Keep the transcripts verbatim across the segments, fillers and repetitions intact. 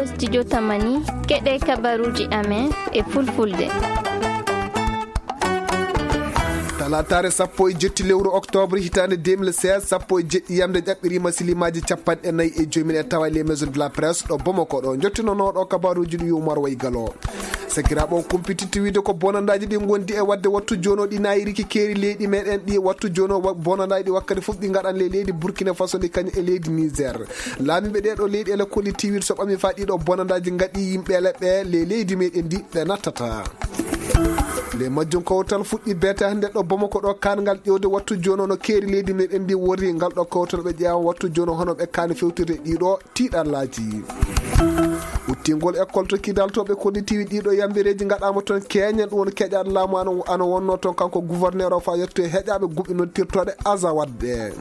Studio Tamani, keɗe kabaruuji amen e fulfulde. Talaataare sappo e jetti lewru octobre hitaande deux mille seize, sappo e jeɗɗi yamde ƴaɓɓiriima silimaaji capanɗe nayi e joyi min e tawa les maisons de la presse ɗo Bamako ɗo. Njottinonooɗo kabaruuji ɗi Umar Waygalo. Sakiraaɓe, on kumpititti wiide ko bonandaaji ɗi ngondi e waɗde wattu jooni o ɗi naayiriki keeri leydi meɗen ɗi. Wattu jooni o wa-, bonandaaji ɗi wakkati fof ɗi ngaɗan le leydi Burkina Faso ndi kañum e leydi Niger. Laamiiɓe ɗee ɗoo leyɗeele kolli tiwiiɗe so ɓami faa ɗii ɗoo bonandaaji ngaɗi yimɓeele ɓe le leydi meɗen ndi ɓe nattata. Le majjum kawtal fuɗɗi beete hannde ɗo Bamako ɗo, kaangal ƴeewde wattu jooni o no keeri leydi meɗen ndi worri. Ngal ɗo kawtal ɓe ƴeewa wattu jooni o hono ɓe kaani fewtirde ɗii ɗoo tiiɗallaaji. Uttingol école to Kidal to ɓe kollitiiwi ɗii ɗoo yambireeji ngaɗaama toon keeñen, ɗum woni keƴaaɗo laamu ano, ano wonnoo toon kanko gouverneur o faa yettoye heƴaaɓe guɓi noddirtooɗe Azawad ɓe.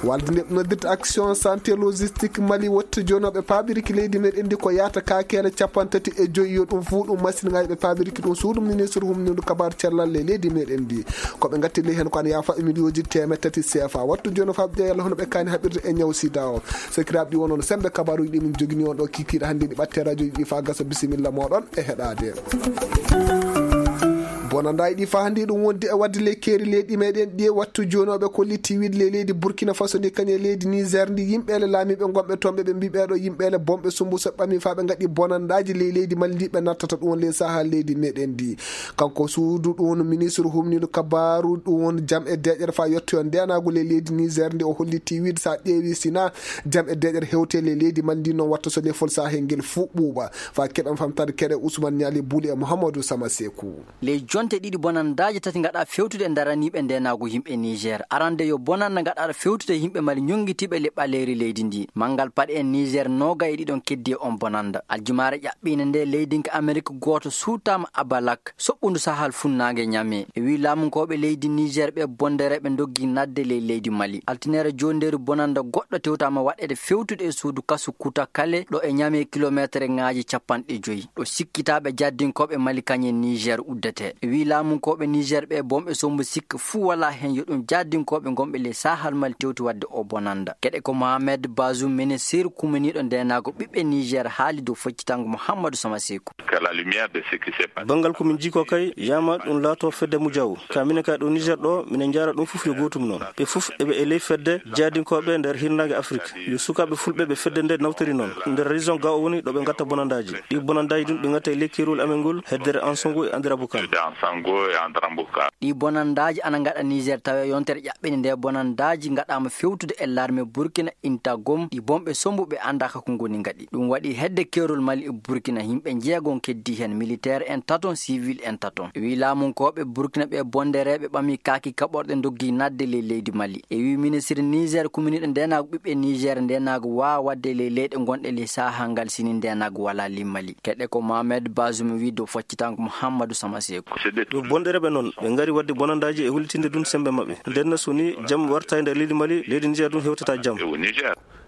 Walde nde noddirta Action Santé Logistique Mali wattu jooni o ɓe paabiriki leydi meɗen ndi ko yaata kaakeele capanɗe tati e joyi yo ɗum fuu ɗum masinŋaaji ɓe paabiriki ɗum suudu ministre humnindu kabaar cellal le leydi meɗen ndi. Ko ɓe ngatti ley heen ko an yaafa e miliyooji teemeɗɗe tati C F A. Wattu jooni o faaɓi ƴeewal hono ɓe kaani haɓirde e ñaw sida o. Sakiraaɓe, ɗi wonoon sembe kabaruuji ɗi min jogini on ɗo kikiiɗe hannde ɗi ɓatte radio ji ɗi faa gasa, bisimilla mooɗon e heɗaade. Bonandaaji ɗi faa hannde ɗum wondi e waɗde le keeri leydi meɗen ɗi wattu jooni o ɓe kolli tiwiiɗe le leydi Burkina Faso ndi kañum e leydi Niger ndi yimɓeele laamiiɓe ngonɓe toon ɓe ɓe mbii ɓeeɗo yimɓeele bonɓe sumbu so ɓami faa ɓe ngaɗi bonandaaji ley leydi Mali ndi ɓe nattata ɗum won ley sahaa leydi meɗen ndi. Kanko suudu ɗum woni ministre humniiɗo kabaaru ɗum woni jam e deeƴere faa yettoyo ndeenaagu ley leydi Niger ndi o hollitii wiide so a ƴeewi sina jam e deeƴere hewte ley leydi Mali ndi noon watta so lefol saahel ngel fuu ɓuuɓa. Faa keɓen famtaade keɗe Ousmane Niali Buli e Mouhamadou Sama Sekou. Ley jonte ɗiɗi bonandaaji tati ngaɗa fewtude e daraniiɓe ndeenaagu yimɓe Niger. Arande yo bonanda ngaɗa fewtude yimɓe Mali ñonngitiiɓe le ɓaleeri leydi ndi. Manngal paɗe en Niger nooga e ɗiɗon keddi e on bonanda. Aljumaare ɓiine nde leydinka Amerik gooto suutaama Abalak, soɓɓundu sahal funnaange Ñame. E wii laamunkooɓe leydi Niger ɓe bondereeɓe ndoggi nadde ley leydi Mali. Altineere joondeeri bonanda goɗɗo tewtaama waɗeede fewtude e suudu kasu Kuta Kale ɗo e Ñame kilomeetereŋaaji capanɗe joyi. Ɗo sikkitaaɓe jaddinkooɓe Mali kañe Niger uddete. E wii laamunkooɓe Niger ɓe bonɓe sombo sikka fuu walaa heen yo ɗum jaddinkooɓe ngonɓe ley sahal Mali tewti waɗde o bonanda. Keɗe ko Mohamed Bazoum ministir kuminiiɗo ndeenaago ɓiɓɓe Niger haali dow foccitango Mouhamadou Sama Sekou. Banngal ko min jii ko kay, yama ɗum laato fedde Mujaw. Ka minen kay ɗo Niger ɗo, minen njaara ɗum fof yo gootum noon. Ɓe fof eɓe e ley fedde jaadinkooɓe nder hirnaange Afrik. Yo sukaaɓe fulɓe ɓe fedde nde nawtori noon. Nder région ga o woni ɗo ɓe ngatta bonandaaji. Ɗi bonandaaji ɗum ɓe ngatta e ley keerol amen ngol, heddere Ansongo e Andira Bukar. Ɗi bonandaaji ana ngaɗa Niger tawa yontere ɓɓene nde bonandaaji ngaɗaama fewtude e larme Burkina Intagom, ɗi bonɓe sombuɓe anndaaka ko ngoni ngaɗi. Ɗum waɗi hedde keerol Mali e Burkina, yimɓe njeegon keddi heen, militeer en taton, sivil en taton. Wi laamunkooɓe Burkina ɓe bondereeɓe ɓami kaaki kaɓorɗe ndoggi nadde ley leydi Mali. E wi ministre Niger kuminiiɗo ndeenaagu ɓiɓɓe Niger, ndeenaagu waawa waɗde ley leyɗe gonɗe ley sahaa ngal sini ndeenaagu walaa ley Mali. Keɗe ko Mohamed Bazoum wi dow faccitango Mouhamadou Samasekou. Yo bondereɓe noon, ɓe ngari waɗde bonandaaji e hollitinde ɗum sembe maɓɓe. Nden na so ni jam warta e nder leydi Mali, leydi Niger ɗum hewtata jam.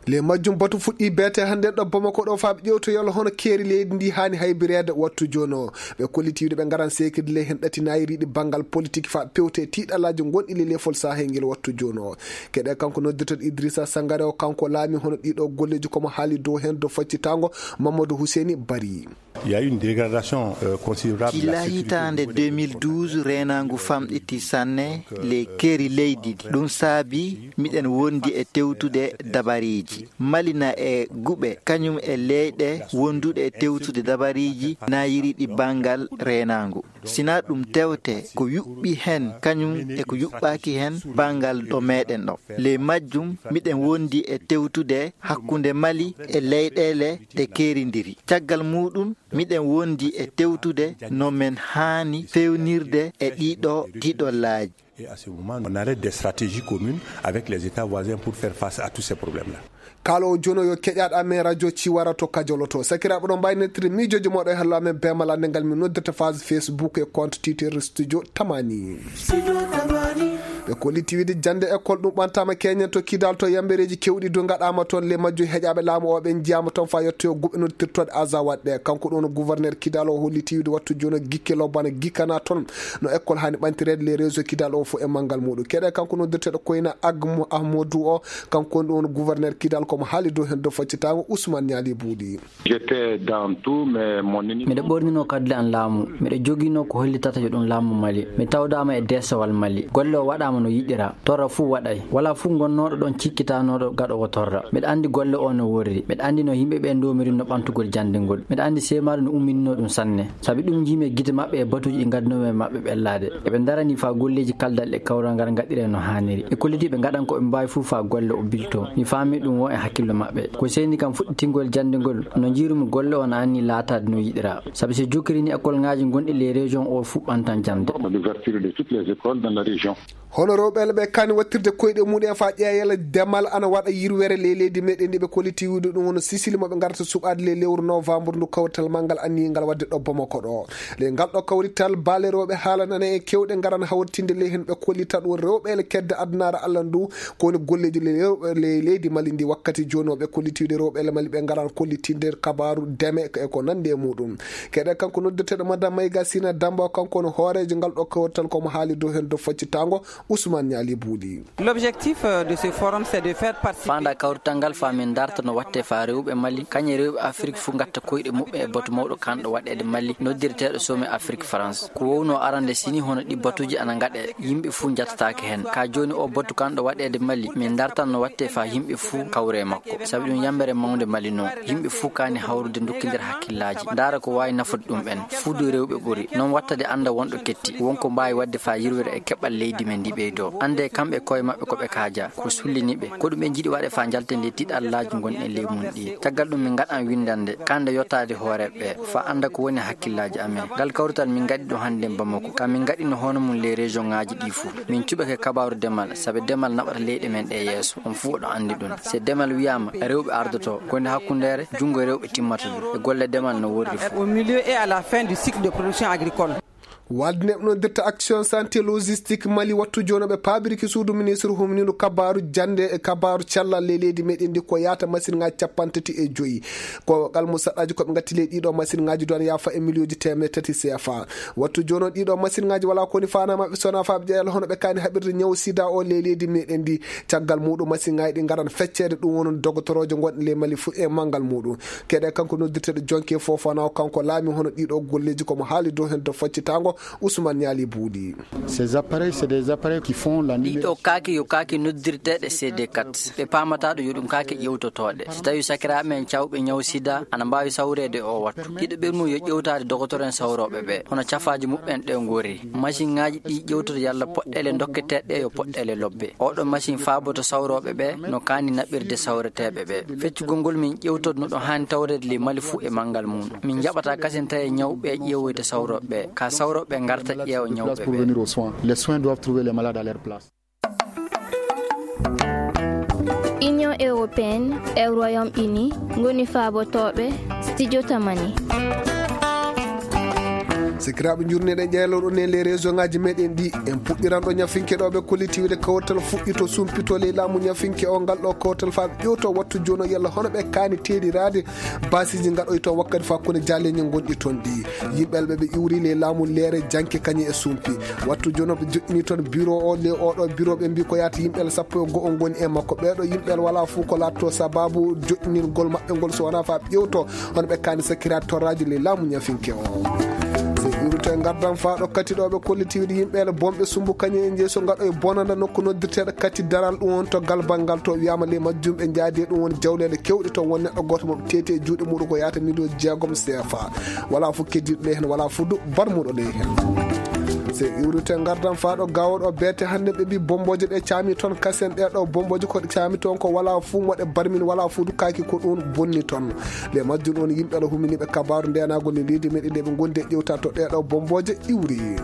Le majjum batu fuɗɗi beete hannde ɗo Bamako ɗo faa ɓe ƴewtoyol hono keeri leydi ndi haani haybireede wattu jooni o. Ɓe kolliti wiide ɓe ngaran seekirde ley heen ɗatinayiriiɗi banngal politik faa pewte tiiɗalaaji gonɗi ley lefol sahel ngel wattu jooni o. Keɗe kanko noddirteɗo Idrissa Sangare o, kanko laami hono ɗiɗo golleeji komo haali dow heen dow faccitango Mamadou Husseini Bari. Il y a eu une dégradation, euh, considérable de la Gila sécurité au hitaande niveau de deux mille douze, reenaangu famɗiti sanne ley keeri leydi ndi. Ɗum saabi miɗen wondi e tewtude dabariiji. Mali na e guɓe, kañum e leyɗe wonduɗe e tewtude dabariiji naayiri ɗi banngal reenaangu. Sina ɗum tewte ko yuɓɓi heen, kañum e ko yuɓɓaaki heen banngal ɗo meɗen ɗo. Ley majjum, miɗen wondi e tewtude hakkunde Mali e leyɗeele ɗe keerindiri. Caggal muuɗum, miɗen wondi e tewtude no men haani fewnirde e ɗiɗo tiiɗollaaji. Et à ce moment, on arrête des stratégies communes avec les États voisins pour faire face à tous ces problèmes-là. Kaalo o jono yo keƴaɗo amen radio Ciwara to Kajoloto. Sakiraaɓe ɗon mbawi nettude miijoji moɗo e hello amen beemal annde ngal min noddirta phase Facebook e compte Twitter Studio Tamani. Ɓe Kolliti wiide jannde école ɗum ɓantaama keñen to Kidal to yambereeji keewɗi du ngaɗaama toon. Le majjo heƴaaɓe laamu o ɓe njiyaama toon faa yettoyo guɓe noddirtooɗe Azawad ɗe. Kanko ɗoon gouverneur Kidal o holliti wiide wattu jooni o gikke lobbana gikkana toon no école haani ɓantireede le réseau Kidal o fof e manngal muuɗum. Keɗe kanko noddirteeɗo Koyna Agmo Ahmodou o, kanko woni ɗoon gouverneur Kidal, komo haali dow heen dow faccitaango Ousmane Niali Buuɗi. J'étais dans tout, mais mon ennemi. Miɗo ɓornino kadule an laamu. Miɗo joginoo ko hollitata yo ɗum laamu Mali. Mi tawdaama e deesowal Mali. Golle o waɗaama no yiɗira. Torra fuu waɗay. Walaa fuu gonnooɗo ɗoon cikkitanooɗo gaɗoowo torra. Miɗo anndi golle o no worri. Miɗo anndi no yimɓe ɓe ndomiri no ɓantugol janndingol. Miɗo anndi seemaari no umminino ɗum sanne. Sabi ɗum njiimi e gite maɓɓe e batuuji ɗi ngaddanoomi e maɓɓe ɓellaade. Eɓe ndarani faa golleeji kaldal e kawral ngal ngaɗiree no haaniri. Ɓe kolliti ɓe ngaɗan ko ɓe mbaawi fuu faa golle o bilto. Mi faami ɗum won e hakkillo maɓɓe. Ko seyni kam fuɗɗitingol janndingol, no njiirumi golle o no anni laataade no yiɗira. Sabi so jokkiri ni école ngaaji gonɗi les régions o fuu ɓantan jannde. L'ouverture de toutes les écoles dans la région. Hono rewɓe ɓe kaani wattirde koyɗe mumen faa ƴeeyal demal ana waɗa yirwere ley leydi meɗen ndi ɓe kolliti wiide ɗum woni Sisili mo ɓe ngarata suɓaade ley lewru novembre ndu kawtal manngal anniingal waɗde ɗo Bamako ɗo. Ley ngal ɗo kawrital baale rewɓe haalanana e kewɗe ngaran hawritinde ley heen ɓe kollita ɗum rewɓe ele kedde addunaare Allah ndu ko woni golleeji ley rewɓe ley leydi Mali ndi wakkati jooni o ɓe kolliti wiide rewɓe ele Mali ɓe ngaran kollitinde kabaaru deme e ko nanndi e muɗum. Keɗe kanko noddirteeɗo Madame Mayga Sina Damba kanko woni hooreejo ngal ɗo kawrital komo haali dow heen dow faccitaango Ousmane Niali Buuɗi. L'objectif, euh, de ce forum, c'est de faire participer. Faanda kawrital ngal faa min darta no watte faa rewɓe Mali, kañe rewɓe Afrik fuu ngatta koyɗe muɓɓe e batu mawɗo kanɗo waɗeede Mali, noddirteeɗo Sommet Afrique France. Ko wowno arande sini hono ɗi batuuji ana ngaɗe, yimɓe fuu njattataake heen. Ka jooni o batu kanɗo waɗeede Mali, min dartan no watte faa yimɓe fuu kawre e makko. Sabi ɗum yambere mawnde Mali non. Yimɓe fuu kaani hawrude ndokkindira hakkillaaji. Ndaara ko waawi nafude ɗum en. Fuudu rewɓe ɓuri. Non wattade annda wonɗo ketti. Won ko mbaawi waɗde faa yirwere e keɓal leydi men ndi ɓeydoo. Annde kamɓe koye maɓɓe ko ɓe kaaja. Ko sullini ɓe. Ko ɗum ɓe njiɗi waɗe faa njalten ley tiɗallaaji ngonɗen ley mum ɗi. Caggal ɗum min ngaɗan winndande. Kande yottaade hooreeɓe ɓe. Faa annda ko woni hakkillaaji amen. Ngal kawrital min ngaɗi ɗum hannde Bamako. Ka min ngaɗino hono mum ley région ŋaaji ɗi fuu. Min cuɓake kabaaru demal. Sabi demal naɓata leyɗe men ɗe yeeso. On fuu oɗo anndi ɗum. Se demal wiyaama, rewɓe ardoto, ko nde hakkundeere, junngo rewɓe timmata ɗum. E golle demal no worri fuu. Au milieu et à la fin du cycle de production agricole. Walde neɓno dirta action santé logistique Mali wattu jonoɓe paabiriki suudu ministre humnino kabaaru jannde e kabaaru cellal ley leydi meɗen ndi ko yaata machine ŋaaji cappantati e joyi. Ko kalmu saɗaji ko ɓe ngatti ley ɗiɗo machine ŋaaji duwan yaafa e miliyooji teemedde tati C F A. Wattu jono ɗiɗo machine ŋaaji wala koni fana maɓɓe sona faaɓe ƴeeƴal hono ɓe kaani haɓirde ñaw sida o ley leydi meɗen ndi. Caggal muɗum machine ŋaaji ɗi ngaran feccere ɗum woni dogotoroojo gonɗo ley Mali fuu e manngal muɗum. Keɗe kanko noddirteɗo Jonke Fofana o kanko laami hono ɗiɗo golleji komo haali dow hen dow faccitango Ousmane Niali Buuɗi. Ces appareils, c'est des appareils qui font la numéro. Ɗiɗo kaaki yo kaaki noddirteɗe C D quatre. Ɓe paamata ɗo yo ɗum kaake ƴewtotooɗe. So tawi sakiraaɓe men cawɓe ñaw sida ana mbaawi sawreede o wattu. Ɗiɗo ɓermu yo ƴewtaade dogotoren sawrooɓe ɓe. Hono cafaaji muɓɓen ɗe ngori. Machine ŋaaji ɗi ƴewtoto yalla poɗɗeele dokketeeɗe yo poɗɗeele lobbe. Oɗo machine faaboto sawrooɓe ɓe no kaani naɓirde sawreteeɓe ɓe. Feccugol ngol min ƴewtoto no ɗo haani tawreede ley Mali fuu e manngal mum. Min njaɓata kasen tawi ñawɓe ƴeewoyta sawrooɓe ɓe. Ka sawrooɓe ɓe ngarta ƴeewa ñawɓe ɓe. Pour venir aux soins. Les soins doivent trouver les malades à leur place. Union européenne e Royaume-Uni ngoni faabotooɓe Studio Tamani. Sikiraaɓe njurneɗen ƴeeloɗo ne les région ngaji meɗen ɗi en puɗɗiran ɗo ñafinke ɗo ɓe kolliti wiide kawtal fuɗɗito sumpito ley laamu ñafinke o ngal ɗo kawtal faa ƴewto wattu jono yalla hono ɓe kaani teeɗiraade. Basiji ngaɗoyto wakkati faa kone jaleñe gonɗi toon ɗi. Yimɓe alɓe ɓe iwri ley laamu leere janke kañe e sumpi. Wattu jono ɓe joɗɗini toon bureau o le oɗo bureau ɓe mbi ko yaata yimɓe sappo e go'o ngoni e makko. Ɓeeɗo yimɓe wala fuu ko laatto sababu joɗɗinirgol maɓɓe ngol so wona faa ƴewto hono ɓe kaani sakiraade torraji ley laamu ñafinke o. So iwrito e ngardan faa ɗo kati ɗo ɓe kolliti wiide yimɓe ele bonɓe sumbu kañe e jeeso ngaɗo e bonanda nokku noddirteɗo kati daral ɗum on to galbal ngal to wiyama ley majjum ɓe jaadi e ɗum woni jawleɗe kewɗe to won neɗɗo goto mo ɓe teeti e juuɗe muɗum ko yaata miliyon jeegom C F A. Wala fuu keddiɗo ley hen wala fuu du barmuɗo ley hen. Se iwrite ngardan faa ɗo gawoɗo beete hannde ɓe mbi bomboje ɗe caami toon kasen ɗe ɗo bomboje ko ɗe caami toon ko wala fuu moɗe barmin wala fuu du kaaki ko ɗum bonni toon. Nde majjum ɗon yimɓe ala huminiɓe kabaaru ndenagol e leydi meɗen nde ɓe gondi e ƴewta to ɗeɗo bomboje iwri.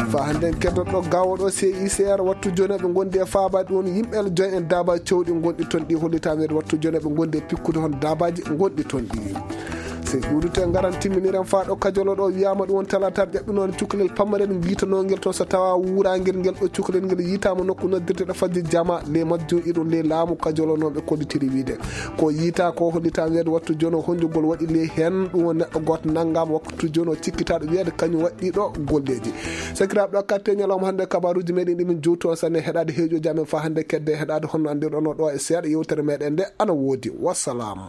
Fa hannde en keddoto gawoɗo C I C R wattu joni ɓe gondi e faaba ɗum yimɓe ala joyi en daaba cewɗi gonɗi toon ɗi hollitama wattu joni ɓe gondi e pikkude hon daabaji gonɗi toon ɗi. Ɓuuɗute ngaran timminiren faa ɗo kajolo ɗo wiyaama ɗum won talataare ƴaɓɓinoonde cukalel pamarel ngiitanongel toon so tawa wuurangel ngel ɗo cukalel ngel yiitaama nokku noddirte ɗo fajji jama ley majjum iɗum ley laamu kajolonooɓe kollitiri wiide ko yiita ko hollita weede wattu jono honjugol waɗi ley heen ɗum won neɗɗo gooto nanngaama waktu jono cikkitaaɗo wiyeede kañum waɗɗi ɗo golleeji. Sakiraaɓe ɗo katte ñalawma hannde kabaruuji meɗen ɗimin juutu on sanne heɗaade heeƴooji amen faa hannde kedde heɗaade honno anndirɗono ɗo e seeɗa yewtere meɗen nde ana woodi. Wassalam.